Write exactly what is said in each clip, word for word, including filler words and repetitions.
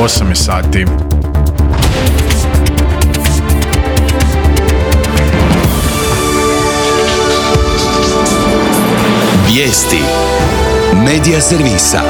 osam je sati. Vijesti Medija servisa.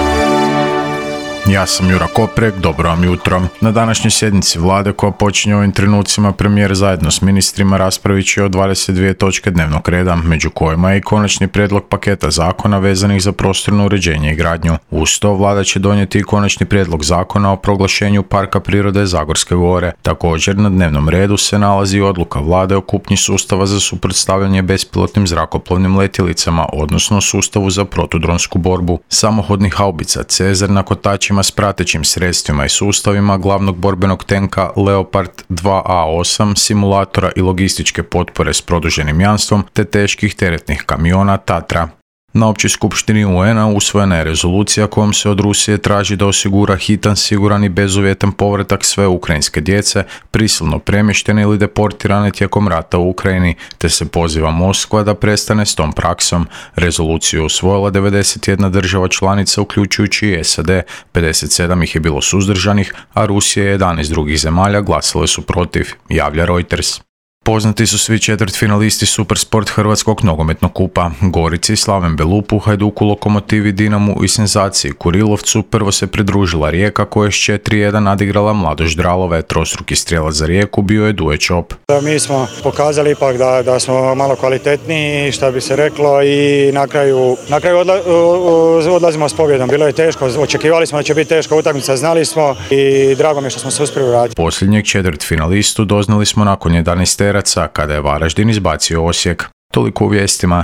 Ja sam Jura Koprek, dobro vam jutro. Na današnjoj sjednici vlade koja počinje ovim trenucima premijer zajedno s ministrima raspravit će o dvadeset dvije točke dnevnog reda, među kojima je i konačni prijedlog paketa zakona vezanih za prostorno uređenje i gradnju. Uz to vlada će donijeti i konačni prijedlog zakona o proglašenju Parka prirode Zagorske gore. Također na dnevnom redu se nalazi odluka vlade o kupnji sustava za suprotstavljanje bespilotnim zrakoplovnim letjelicama, odnosno sustavu za protudronsku borbu, samohodnih haubica Cezar na kotačima s pratećim sredstvima i sustavima glavnog borbenog tenka Leopard dva A osam, simulatora i logističke potpore s produženim jamstvom te teških teretnih kamiona Tatra. Na općoj skupštini U N-a usvojena je rezolucija kojom se od Rusije traži da osigura hitan, siguran i bezuvjetan povratak sve ukrajinske djece, prisilno premještene ili deportirane tijekom rata u Ukrajini, te se poziva Moskva da prestane s tom praksom. Rezoluciju je usvojila devedeset jedna država članica, uključujući i S A D, pedeset sedam ih je bilo suzdržanih, a Rusija i jedanaest drugih zemalja glasale su protiv, javlja Reuters. Poznati su svi četvrtfinalisti Supersport Hrvatskog nogometnog kupa. Gorici, Slaven Belupu, Hajduku, Lokomotivi, Dinamu i senzaciji Kurilovcu prvo se pridružila Rijeka koja je s četiri jedan nadigrala Mladost Dralove. Trostruki strijelac za Rijeku bio je Duje Čop. Mi smo pokazali ipak da, da smo malo kvalitetniji, što bi se reklo, i na kraju, na kraju odla, odlazimo s pobjedom. Bilo je teško, očekivali smo da će biti teška utakmica, znali smo i drago mi je što smo se uspjeli vratiti. Posljednjeg četvrtfinalistu doznali smo nakon jedanaest teraca kada je Varaždin izbacio Osijek. Toliko u vijestima.